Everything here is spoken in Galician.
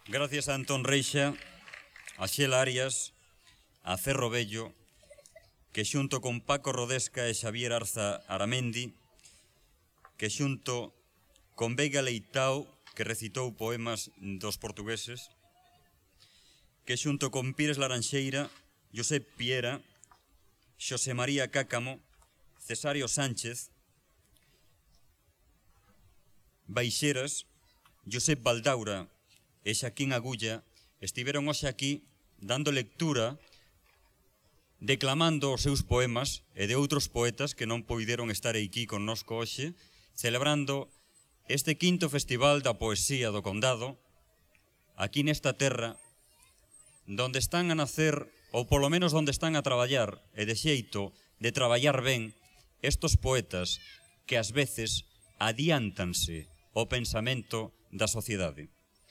Gracias a Antón Reixa, a Xela Arias, a Cerro Bello, que xunto con Paco Rodesca e Xavier Arza Aramendi, que xunto con Veiga Leitao, que recitou poemas dos portugueses, que xunto con Pires Laranxeira, Josep Piera, Xosé María Cácamo, Cesario Sánchez, Baixeras, Josep Baldaura e Xaquín Agulla estiveron hoxe aquí dando lectura, declamando os seus poemas e de outros poetas que non poideron estar aquí connosco hoxe, celebrando este quinto Festival da Poesía do Condado, aquí nesta terra, donde están a nacer, ou polo menos donde están a traballar, e de xeito de traballar ben, estos poetas que ás veces adiántanse ao pensamento da sociedade.